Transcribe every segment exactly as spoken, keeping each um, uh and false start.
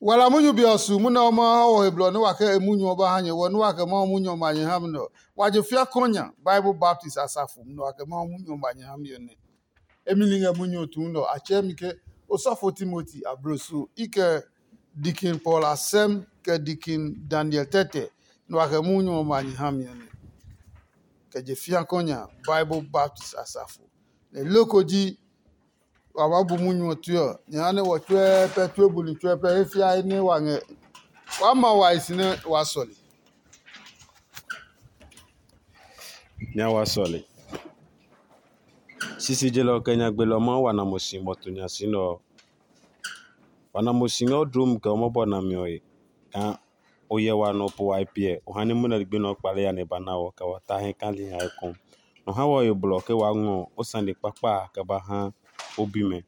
Wala munyu be ɔ su munɛ ɔ ma ha wɔ he blɔ nɛ wa kɛ e munyu ɔ ba ha nyɛ wɔ nɛ wa kɛ Mawu munyu ɔ ma nyɛ ha mi nɛ ɔ, wa je fia kɔ nya Bible Baptist asafo nɛ wa kɛ Mawu munyu ɔ ma nyɛ ha mi ɔ nɛ. Emi li ngɛ munyu ɔ tuu nɛ ɔ, a tsɛɛ mi ke osɔfo Timoti abloso i kɛ Dikin Paul asɛm kɛ Dikin Daniel tɛtɛ nɛ wa kɛ munyu ɔ ma nyɛ ha mi ɔ nɛ. Kɛ je fia kɔ nya Bible Baptist asafo. Nɛ loko ji wa maa bu munyu ɔ tue ɔ, nyɛ ha nɛ wɔ tsuɛɛ pɛ tue buli tsuɛɛ pɛ he fia he nɛ wa ngɛ waa ma wa he si nɛ waa sɔle. Nya wa sɔle. Sisi jelɔ kɛ nya gbelɔ Mawu wa na mo si bɔ to nya si nɛ ɔ. Wa na mo si ngɛ o dloo mu kɛ o mɔbɔ nami ɔ he kaa o hyɛ wa nɔ po wa he piɛ o ha nɛ munɛ ligbi nɛ ɔ kpale ya nɛ e ba na wɔ kɛ wa ta hɛ kali ha ekɔ. Nɔ ha wɔ he blɔ ke waa ngɔ o sane kpakpa a kɛ ba ha o bimɛ.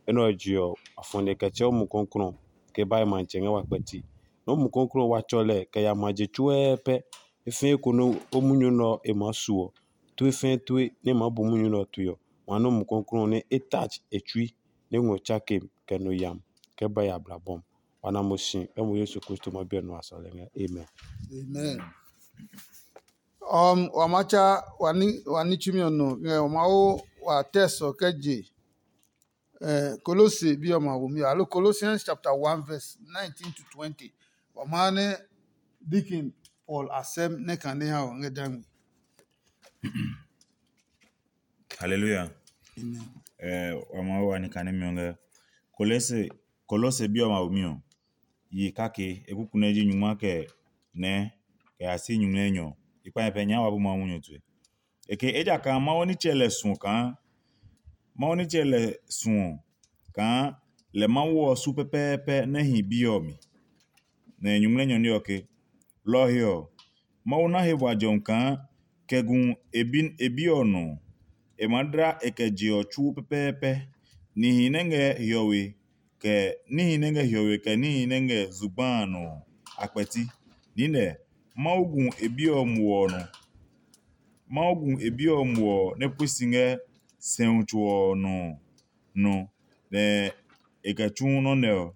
Enɛ ɔ je ɔ, a fɔ nɛ kɛ tsɛ o Mumi Klɔuklɔu ke ba e matsɛ ngɛ wa kpɛti. Nɛ o Mumi Klɔuklɔu wa tsɔ lɛ kɛ ya ma je tsuɛɛ pɛ. E fɛɛ ko nɛ o munyu nɛ ɔ e maa su ɔ, tue fɛɛ tue nɛ e maa bu munyu nɛ ɔ tue ɔ, wa nɛ o Mumi Klɔuklɔu nɛ e touch e tsui nɛ ngɔ tsake kɛ no yam kɛ ba ya blabɔm. Wa na mo si kɛ mo Yesu Kristo ma biɛ nɔ a sɔlɛ ngɛ. Amen. Amen. Um, wa ma cha wa ni wa ni chumi ɔ nɔ ngɛ wa ma wo wa test ɔ kɛ je. Eh, Kolose bi ɔ ma wo mi alo Colossians chapter one verse nineteen to twenty. Wa ma ne Deacon Paul asɛm ne kane ha ɔ ngɛ dangmi. Hallelujah. Amen. Eh, wa ma wa ni kane mi ɔ ngɛ Kolose Kolose bi ɔ ma wo mi ɔ. Yi kake ekuku nɛ ji nyungma kɛ nɛ kɛ ya si nyumu nɛ nyɔ. I kpa nyɛ pɛ nya wa bu Mawu munyu tue. Eke ejakaa Mawu nitsɛ lɛ suɔ kaa Mawu nitsɛ lɛ suɔ kaa lɛ Mawu ɔ su pɛpɛɛpɛ nɛ hi bi ɔ mi. Nɛ nyumu nɛ nyɔ ní ɔ ke, lɔ ɔ he ɔ, Mawu na he bua jɔmi kaa kɛ gu e bi ɔ nɔ. E maa dla e kɛ je ɔ tsuo pɛpɛɛpɛ. Nihi nɛ ngɛ hiɔwe kɛ níhi nɛ ngɛ hiɔwe kɛ níhi nɛ ngɛ zugba a nɔ ɔ, a kpɛti. Niinɛ, Mawu gu e bi ɔ muɔ ɔ nɔ. Mawu gu e bi ɔ muɔ ɔ nɛ pue si ngɛ sɛumi tso ɔ nɔ nɔ, nɛ e kɛ tsu nɔ́ nɛ ɔ,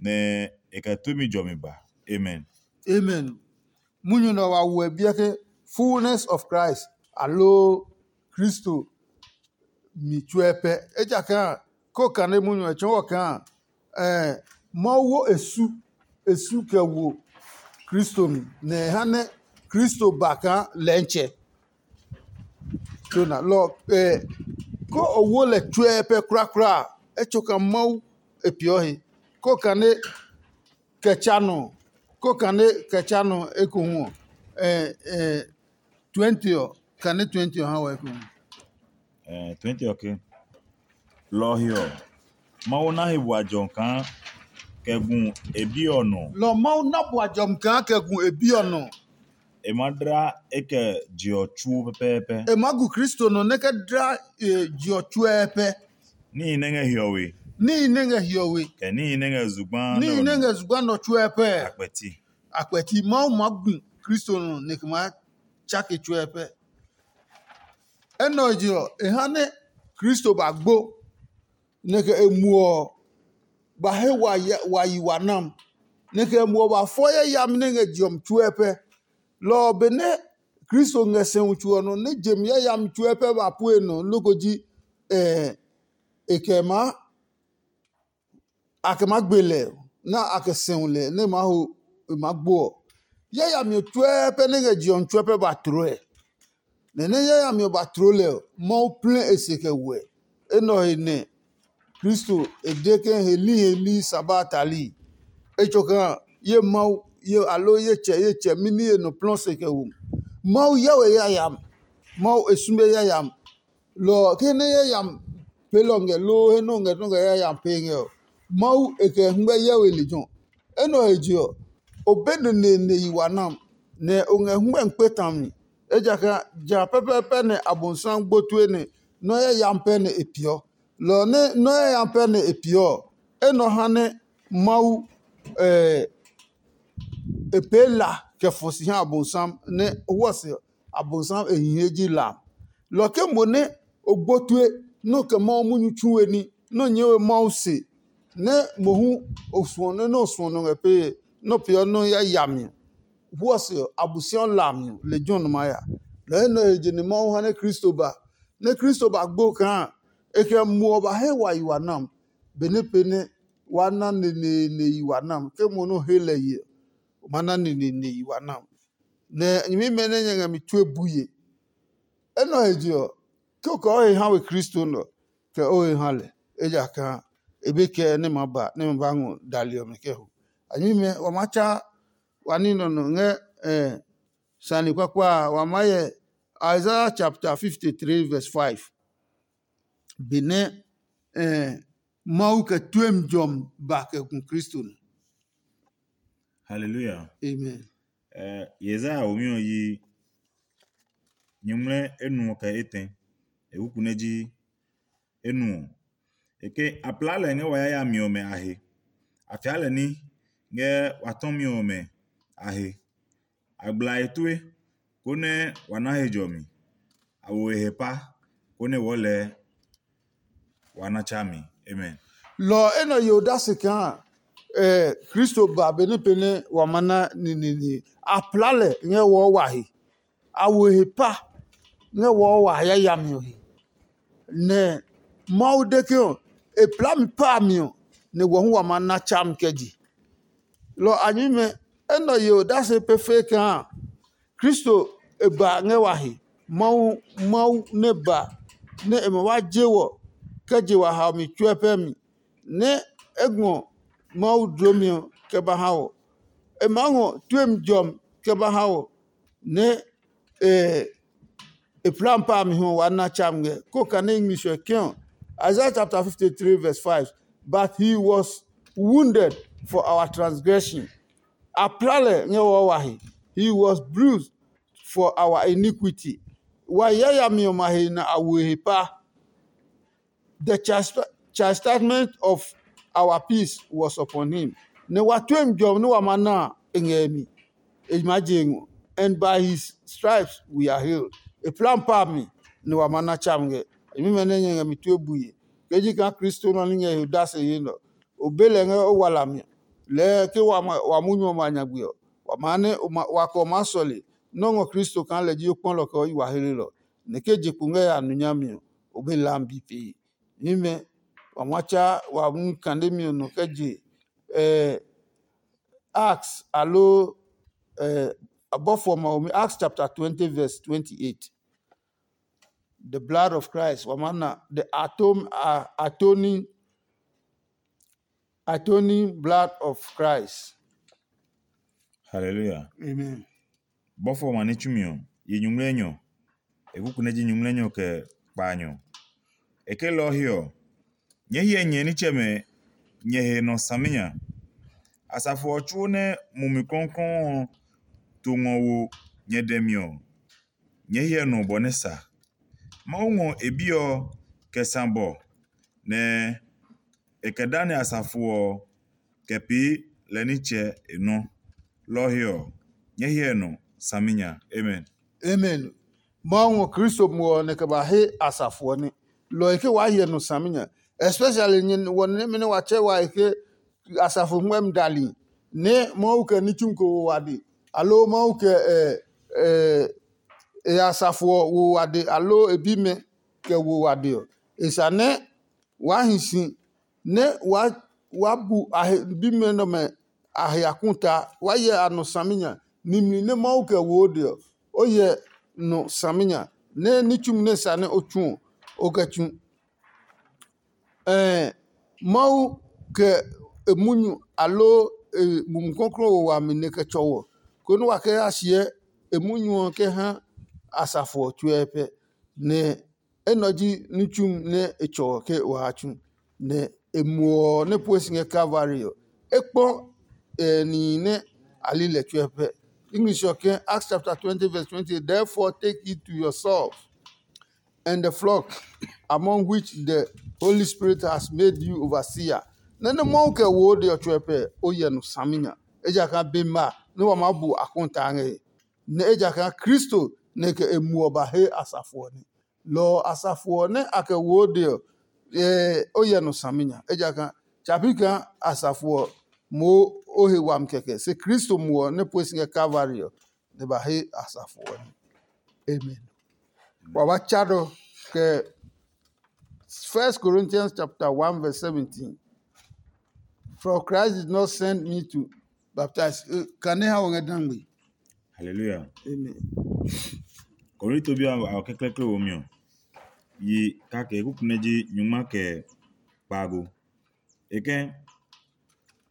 nɛ e kɛ tue mi jɔmi ba. Amen. Amen. Munyu nɛ wa wuɛ biɛ ke fullness of Christ aloo Kristo mi tsuɛ pɛ. Ejakaa ko kane munyu ɔ tsɔɔ kaa Mawu wo e su e su kɛ wo Kristo mi, nɛ e ha nɛ Kristo ba kaa lɛntsɛ. Lona lɔ ko o wo lɛ tsuɛ pɛ krakra a, e tso kaa Mawu e peeɔ he. Ko kane kɛ tsa nɔ, ko kane kɛ tsa nɔ ekohu ɔ, twenty ɔ, kane twenty ɔ ha wɔ ekohu. Eh, twenty ɔ ke, lɔ ɔ he ɔ, Mawu na he bua jɔmi kaa kɛ gu e bi ɔ nɔ. Lɔ Mawu na bua jɔmi kaa kɛ gu e bi ɔ nɔ. E ma dla e kɛ je ɔ tsuo pɛpɛɛpɛ. E ma gu Kristo nɔ nɛ kɛ dla e je ɔ tsuɛɛpɛ. Níhi nɛ ngɛ hiɔwe. Níhi nɛ ngɛ hiɔwe. Kɛ níhi nɛ ngɛ zugba. Níhi nɛ ngɛ zugba nɔ tsuɛɛpɛ. Akpɛti. Akpɛti Mawu ma gu Kristo nɔ nɛ kɛ ma tsake tsuɛɛpɛ. Enɛ ɔ je ɔ, e ha nɛ Kristo ba gbo, nɛ kɛ e muɔ ɔ, ba he wa yi wa nam, nɛ kɛ e muɔ ba fɔ yayami nɛ ngɛ je ɔ mi tsuɛ pɛ. Lɔ ɔ, benɛ Kristo ngɛ sɛumi tso ɔ nɔ nɛ je mi yayami tsuɛ pɛ ba pue nɔ loko ji e kɛ maa a kɛ maa gbe lɛ nɛ a kɛ sɛu lɛ nɛ e maa ho e maa gbo ɔ, yayami ɔ tsuɛɛ pɛ nɛ ngɛ je ɔ mi tsuɛ pɛ ba tloo ɛ. Nɛ nɛ yayami ɔ ba tloo lɛ ɔ, Mawu plɛ e se kɛ wɛ. Enɛ ɔ he nɛ Kristo e de ke heli heli sa ba a tali. Etso kaa ye Mawu ye alo ye tsɛ ye tsɛ mɛni ye nɔ plɔ se kɛ wo. Mawu yɛ we yayami. Mawu e sume yayami. Lɔ ɔ, ke nɛ yayami peelɔ ngɛ loo he nɛ o ngɛ nɔ́ ngɛ yayami pee ngɛ ɔ, Mawu e kɛ ngmɛ hyɛ we lejɛ ɔ. Enɛ ɔ he je ɔ, o be neneene yi wa nam, nɛ o ngɛ hwɛmi kpe tami, ejakaa ja pɛpɛɛpɛ nɛ Abosiami gbo tue nɛ nɔ́ yayami pɛ nɛ e peeɔ. Lɔ ɔ nɛ nɔ́ yayami pɛ nɛ e peeɔ ɔ, enɛ ɔ ha nɛ Mawu e pee la kɛ fɔ si ha Abosiami nɛ huɛse Abosiami e hi he ji la. Lɔ ke mo nɛ o gbo tue nɛ o kɛ Mawu munyu tsu we ní nɛ o nyɛɛ we Mawu se nɛ mohu o suɔ nɛ nɛ o suɔ nɔ ngɛ pee nɛ o peeɔ nɔ́ ya yami ɔ, huɔ se ɔ, Abosiami la mi ɔ, lejɛ ɔ nɔ maa ya. Lɔ nɛ ɔ he je nɛ Mawu ha nɛ Kristo ba, nɛ Kristo ba gbo kaa e kɛ muɔ ba he wa yi wa nam, benɛ pee nɛ wa na neneene yi wa nam, ke mo nɛ o he lɛ ye ɔ, o ma na neneene yi wa nam. Nɛ nyɛmimɛ nɛ nyɛ ngɛ mi tue bue. Enɛ ɔ he je ɔ, ke o kɛ o he ha we Kristo nɛ ɔ, kɛ o he ha lɛ, ejakaa e be kɛɛ nɛ ma ba nɛ ma ba ngɔ dali ɔmɛ kɛ ho. A nyɛmimɛ wa ma tsa wa ní nɔ nɔ ngɛ eh, sane kpakpa a, wa maa hyɛ Isaiah chapter fifty-three verse five. Benɛ eh, Mawu kɛ tuem jɔmi ba kɛ gu Kristo nɔ. Hallelujah. Amen. Eh, Yesaia womi ɔ yi nyuŋmlɛ enuɔ kɛ etɛ. E kuku nɛ ji enuɔ. E ke a plaa lɛ ngɛ wa yayami ɔmɛ a he. A fia lɛ ní ngɛ wa tɔmi ɔmɛ a he. A gbla e tue, konɛ wa na he jɔmi. A wo e he pa, konɛ wɔɔ lɛɛ wa na tsa mi. Amen. Lɔ ɔ enɛ yo odase kaa eh, Kristo ba benɛ pɛnɛ wa ma na nininie. A plaa lɛ ngɛ wɔɔ wa he. A wo he pa ngɛ wɔɔ wa yayami ɔ he. Nɛ Mawu de ke ɔ, e plaa mi pa a mi ɔ, nɛ wɔ hu wa ma na tsami kɛ je. Lɔ a nyɛmimɛ, enɛ yo odase pefee kaa Kristo e ba ngɛ wa he. Mawu Mawu nɛ ba nɛ e ma wa je wɔ kɛ je wa haomi tsuɛ pɛ mi, nɛ e ngɔ Mawu dlomi ɔ kɛ ba ha wɔ. E maa ngɔ tuemi jɔmi kɛ ba ha wɔ, nɛ e e plan pa mi hu wa na cham ngɛ. Ko kane English ɔ ke ɔ, Isaiah chapter fifty-three verse five, but he was wounded for our transgression. A pla lɛ ngɛ wɔɔ wa he. He was bruised for our iniquity. Wa yayami ɔmɛ a he nɛ a wo e he pa. The chastisement of our peace was upon him. Nɛ wa tuemi jɔmi nɛ wa ma na a, e ngɛ e mi. E maa je ngɔ. And by his stripes we are healed. E plan pa mi nɛ wa ma na tsa mi ngɛ. Nyɛmimɛ nɛ nyɛ ngɛ mi tue bue. Ke ji kaa Kristo nɔ ní ngɛ he odase ye nɛ ɔ, o be lɛ ngɛ o wala mi. Lɛɛ ke wa munyu ɔmɛ a nyagbe ɔ, wa maa nɛ wa kɛ o maa sɔle nɛ o ngɔ Kristo kaa lɛ ji o kpɔlɔ kɛ o yi wa helelɔ. Nɛ ke je kpo ngɛ ya nu nyami ɔ, o be lam bi pee. Nyɛmimɛ, wa ma tsa wa mu kandemi ɔ nɔ kɛ je eh, Acts aloo eh, abɔfo ɔmɛ ɔmi Acts chapter twenty verse twenty-eight. The blood of Christ, wa ma na the atom, uh, atoning, atoning blood of Christ. Hallelujah. Amen. Bɔfo ɔmɛ ní tsumi ɔ, yi nyuŋmlɛnyɔ. E kuku nɛ ji nyuŋmlɛnyɔ kɛ kpaanyɔ. E ke lɔ ɔ he ɔ, nyɛɛ hyɛ nyɛ nitsɛmɛ nyɛ he nɔ saminya. Asafo ɔ tsuo nɛ Mumi Klɔuklɔu ɔ to ngɔ wo nyɛ dɛ mi ɔ, nyɛɛ hyɛ nɔ bɔ nɛ sa. Mawu ngɔ e Bi ɔ kɛ sã bɔ, nɛ e kɛ dani asafo ɔ kɛ pee lɛ nitsɛ e nɔ. Lɔ ɔ he ɔ, nyɛɛ hyɛ nɔ saminya. Amen. Amen. Mawu ngɔ Kristo muɔ ɔ nɛ kɛ ba he asafo ɔ ní. Lɔ ɔ he ke waa hyɛ nɔ saminya. Especially nyɛ wɔ nɛmɛ nɛ wa tsɛ wa he ke asafo ngmɛmi dali nɛ Mawu kɛ ní tsumi ko wo wade, aloo Mawu kɛ e asafo ɔ wo wade, aloo e bimɛ kɛ wo wade ɔ, e sa nɛ waa hi si nɛ waa bu a he bimɛ nɛ ɔmɛ a he akuta, waa hyɛ a nɔ saminya. Nimli nɛ Mawu kɛ wo o de ɔ, o hyɛ nɔ saminya, nɛ ní tsumi nɛ sa nɛ o tsu ɔ, o kɛ tsu. Ɛɛ, Mawu kɛ e munyu aloo e Mumi Klɔuklɔu wo wami nɛ kɛ tsɔ wɔ, konɛ wa kɛ ya siɛ e munyu ɔ kɛ ha asafo ɔ tsuɛ pɛ. Nɛ enɛ ɔ ji ní tsumi nɛ e tsɔ ɔ ke waa tsu, nɛ e muɔ ɔ nɛ pue si ngɛ Kalvari ɔ, e kpɔ nihi nɛ a li lɛ tsuɛ pɛ. English ɔ ke Acts chapter twenty verse twenty, therefore take heed to yourself and the flock among which the Holy Spirit has made you overseer. Nɛ nɛ Mawu kɛ wo o de ɔ tsuɛ pɛ, o hyɛ nɔ saminya. Ejakaa be ma nɛ wa maa bu akɔntaa ngɛ he. Nɛ ejakaa Kristo nɛ kɛ e muɔ ba he asafo ɔ nɛ. Lɔ ɔ asafo ɔ nɛ a kɛ wo o de ɔ, o hyɛ nɔ saminya. Ejakaa Tsa pi kaa asafo ɔ moo o he wami kɛkɛ, se Kristo muɔ ɔ nɛ pue si ngɛ Kalvari ɔ, nɛ ba he asafo ɔ nɛ. Amen. Wa ba tsa nɔ kɛ First Corinthians chapter one verse seventeen. For Christ did not send me to baptize. Kane ha wɔ ngɛ dangbe. Hallelujah. Amen. Korinto bi a kɛklɛklɛ wo mi ɔ, yi kake kuku nɛ ji nyungma kɛ kpaago. E kɛ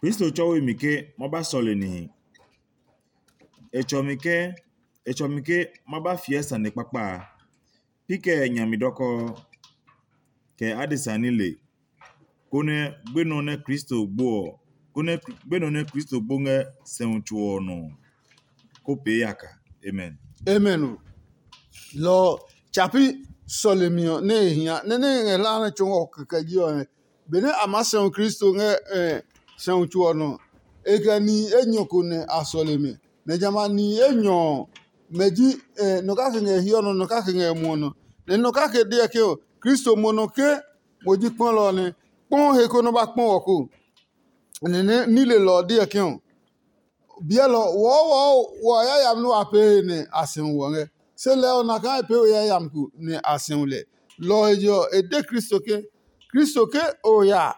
Kristo tsɔwe mi ke ma ba sɔle nihi. E tsɔ mi ke e tsɔ mi ke ma ba fiɛ sane kpakpa a. Pi kɛ nya mi dɔkɔɔ, kɛ adesa nile, konɛ gbenɔ nɛ Kristo gbo ɔ, konɛ gbenɔ nɛ Kristo gbo ngɛ sɛumi tso ɔ nɔ ɔ, ko pee yaka. Amen. Amen o. Lɔ ɔ, tsa pi sɔlemi ɔ nɛ e hia nɛ nɛ e ngɛ hlaa nɛ tsɔɔ ɔ kɛkɛ ji ɔ, benɛ a maa sɛu Kristo ngɛ sɛumi tso ɔ nɔ, e kɛ nihi enyɔ ko nɛ a sɔle mɛ. Nɛ jamɛ a nihi enyɔ ɔ, mɛ ji nɔ kake ngɛ hiɔ nɔ, nɔ kake ngɛ muɔ nɔ. Nɛ nɔ kake deɔ ke ɔ, Kristo mo nɔ ke mo ji kpɔlɔ ɔ nɛ kpɔ he ko nɔ ba kpɔ wɔ ko. Nɛ nɛ nilelɔ ɔ deɔ ke ɔ, biɛlɔ wɔɔwɔɔ wɔ yayami nɛ wa pee he nɛ a sɛu wɔ ngɛ. Se lɛ ɔ, na kaa e pee we yayami ko nɛ a sɛu lɛ. Lɔ ɔ he je ɔ, e de Kristo ke, Kristo ke o ya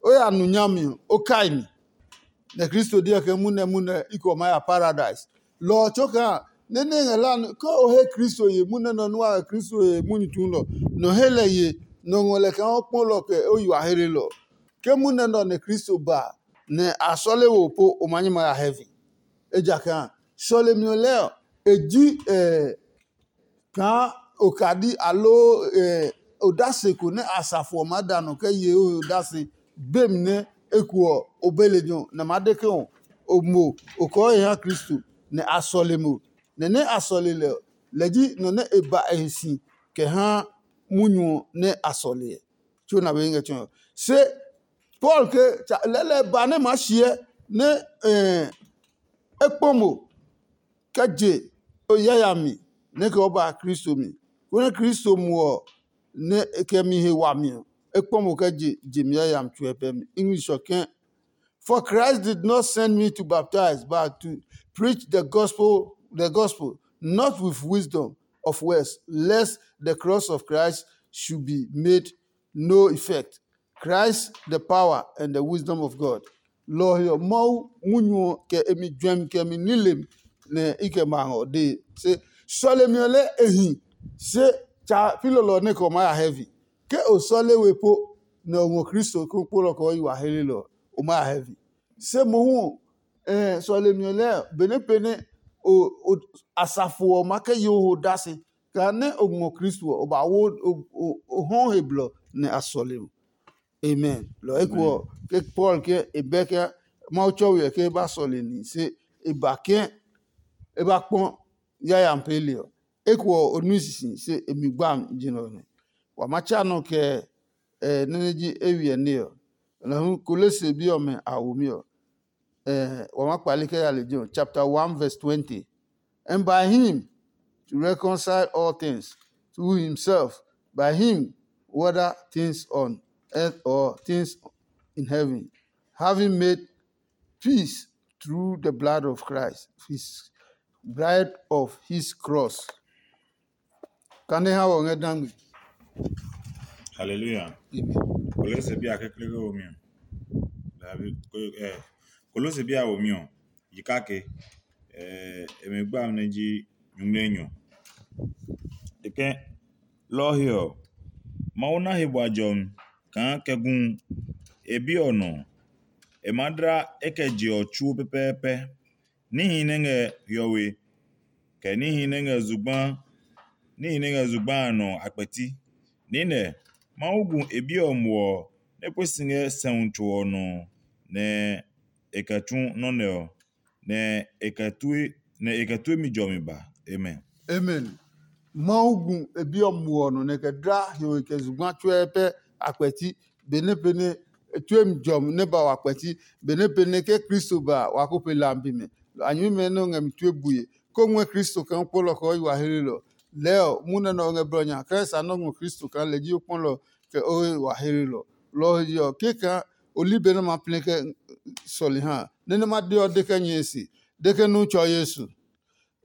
o ya nu nyami ɔ, o kai mi. Nɛ Kristo deɔ ke munɛ munɛ i kɛ o maa ya paradise. Lɔ ɔ tso kaa nɛ nɛ ngɛ la ke o he Kristo ye munɛ nɔ nua ngɛ Kristo ye munyu tsuulɔ, nɔ he lɛ ye, nɔ ngɔ lɛ kaa o kpɔlɔ kɛ o yi wa hlelɔ. Ke munɛ nɛ ɔ nɛ Kristo ba a, nɛ a sɔle wo po, o ma nyɛ ma ya heaven. Ejakaa sɔlemi ɔ lɛɛ ɔ, e ji kaa okadi aloo odase ko nɛ asafo ɔ maa da nɔ kɛ ye o he odase gbemi nɛ eko ɔ o be lejɛ ɔ, nɛ a maa de ke ɔ, o mo o kɔɔ he ha Kristo, nɛ a sɔle mo. Nɛ nɛ a sɔle lɛ ɔ, lɛ ji nɔ nɛ e ba e he si kɛ ha munyu ɔ nɛ a sɔle ɛ. Tso na be ngɛ tsɔɔ. Se Paul ke lɛlɛ ba nɛ maa shiɛ nɛ e kpɔ mo kɛ je o yayami nɛ kɛ o ba Kristo mi, konɛ Kristo muɔ ɔ nɛ e kɛ mi he wami ɔ, e kpɔ mo kɛ je je mi yayami tsuɛ pɛ mi. English ɔ kɛ̃, for Christ did not send me to baptize, but to preach the gospel, the gospel, not with wisdom of words, lest the cross of Christ should be made no effect. Christ the power and the wisdom of God. Lɔ ɔ he ɔ, Mawu munyu ɔ kɛ e mi juɛmi kɛ mi nilem nɛ i kɛ ma ngɔ dee. Se sɔlemi ɔ lɛ e hi, se tsa pi lɔlɔ nɛ kɛ o maa ya heaven. Ke o sɔle we po nɛ o ngɔ Kristo ko kpolɔ kɛ o yi wa helelɔ ɔ, o maa ya heaven. Se mohu ɔ, sɔlemi ɔ lɛɛ benɛ pɛ nɛ asafo ɔ ma kɛ yo ho dasi, kaa nɛ o ngɔ Kristo ɔ, o ba wo o hɔn he blɔ nɛ a sɔle o. Amen. Lɔ eko ɔ, ke Paul ke e bɛ ke Mawu tsɔwi ɔ ke e ba sɔle ni, se e ba ke e ba kpɔ yayami peeli ɔ. Eko ɔ, o nui sisi, se e mi gbami ji nɛ ɔ nɛ. Wa ma tsa nɔ kɛ nɛ nɛ ji e wiɛ nɛ ɔ. Lɔ hu Kolose bi ɔmɛ a womi ɔ, wa ma kpale kɛ ya lejɛ ɔ, chapter one verse twenty. And by him to reconcile all things to himself, by him, whether things on earth or things in heaven, having made peace through the blood of Christ, his bride of his cross. Kane ha wɔ ngɛ dangbe. Hallelujah. Kolose bi a kekle wo mi. David, eh, Kolose bi a wo mi ɔ, yi kake, eh, e me gba ne ji nyunglenyɔ. Eke lɔ he ɔ, Mawu na he bua jɔmi kaa kɛ gu e bi ɔ nɔ. E ma dla e kɛ je ɔ tsuo pɛpɛɛpɛ. Níhi nɛ ngɛ hiɔwe, kɛ níhi nɛ ngɛ zugba, níhi nɛ ngɛ zugba a nɔ a kpɛti. Niinɛ, Mawu gu e Bi ɔ muɔ ɔ nɛ pue si ngɛ sɛumi tso ɔ nɔ, nɛ e kɛ tsu nɔ́ nɛ ɔ, nɛ e kɛ tue nɛ e kɛ tue mi jɔmi ba. Amen. Amen. Mawu gu e Bi ɔ muɔ ɔ nɔ nɛ e kɛ dla hiɔwe kɛ zugba tsuɛ pɛ a kpɛti, benɛ pɛ nɛ e tue mi jɔmi nɛ ba wa kpɛti, benɛ pɛ nɛ ke Kristo ba a, wa ko pe lambi mɛ. A nyɛmimɛ nɛ o ngɛ mi tue bue, ko ngɔɛ Kristo kaa o kpɔlɔ kɛ o yi wa heelelɔ. Lɛɛ ɔ, munɛ nɛ o ngɛ blɔ nya kaa e sa nɔ́ ngɔ Kristo kaa lɛ ji o kpɔlɔ kɛ o yi wa heelelɔ. Lɔ ɔ he je ɔ, kɛkaa o li be nɛ ma plɛ kɛ sɔli ha nɛ nɛ ma de ɔ de kɛ nyɛɛ se de ke nu tsɔ Yesu.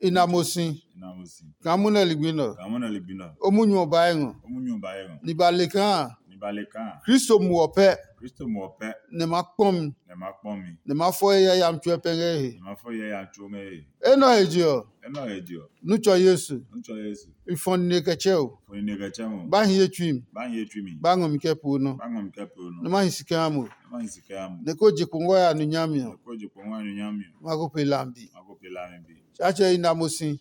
I na mo si. Ina mo si. Kaa mu nɛ ligbi nɔ. Ka mo na ligbi nɔ. O munyu ɔ ba ngɔ. O mu nyu ba ye ngɔ. Ni ba le kaa Ni ba le kaa. Kristo mu ɔ pɛ Kristo mo pɛ. Nɛ ma kpɔn mi Ne ma kpɔn mi. Nɛ ma fɔ he yayam tsuɛ pɛ ngɛ he. Ma fɔ ye ya tso ngɛ ye. Enɔ he je ɔ. Eno ye dio. Nu tsɔ Yesu. Ntsɔ Yesu. I fɔ nine kɛ tsɛ o. Fo ni ne kɛ chɛ mo. Ba hi ye tsui mi. Ba ye tui mi. Ba ngɔ mi kɛ poo nɔ. Ba ngɔ mi kɛ po no. Nɛ ma hi si kɛ ha mo. Ma hi si kɛ mo. Nɛ ko je kpo ngɔ ya nu nyami ɔ. Ko je po ngwa nu nyami. Ma ko pe lambi. Ma ko pe la mi bi. Tsatsɛ i na mo si.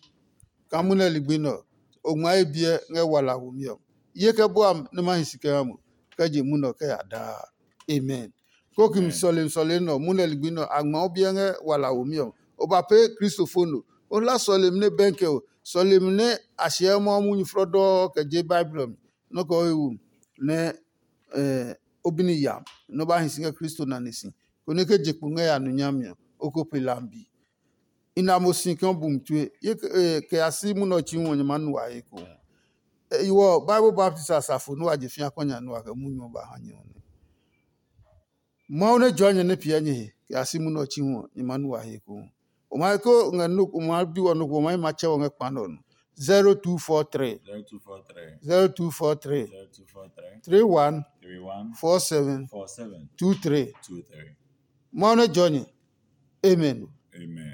Ka mu nɛ ligbi nɔ. O ngma ye biɛ ngɛ wala wo mi ɔ. Ye kɛ bua nɛ ma hi si kɛ ha mo. Kɛ je mu nɔ kɛ ya daa. Amen. Ko ki mi sɔlemi sɔlemi nɔ mu nɛ ligbi nɔ a ngma o biɛ ngɛ wala wo mi ɔ. O ba pee Kristo fo no. O hla sɔlemi nɛ bɛnkɛ o. Sɔlemi nɛ a hyɛ mɔ munyu flɔdɔɔ kɛ je Bible ɔ mi. Nɔ kɛ o he wu nɛ eh, o bini ya nɔ ba hi si ngɛ Kristo nane si. Konɛ ke je kpo ngɛ ya nu nyami ɔ, o ko pe lambi. I na mo si kɛ o bu mi tue. Ye kɛ ya si munɔ tsi hu ɔ nyɛ ma nu wa he ko. Iwɔ Bible baptist asafo nɛ wa je fia kɔ nya nɛ wa kɛ munyu ɔ ba ha nyɛ ɔ nɛ. Mawu nɛ jɔɔ nyɛ nɛ piɛ nyɛ he kɛ ya si munɔ tsi hu ɔ nyɛ ma nu wa he ko. O ma he ko ngɛ no o ma bi wɔ no ko o ma yi ma tsɛ wɔ ngɛ kpa nɔ no. zero two four three Zero two four three. zero two four three Zero two four three. three one Three one. four seven Four seven. two three. Two three. Mawu nɛ jɔɔ nyɛ. Amen. Amen.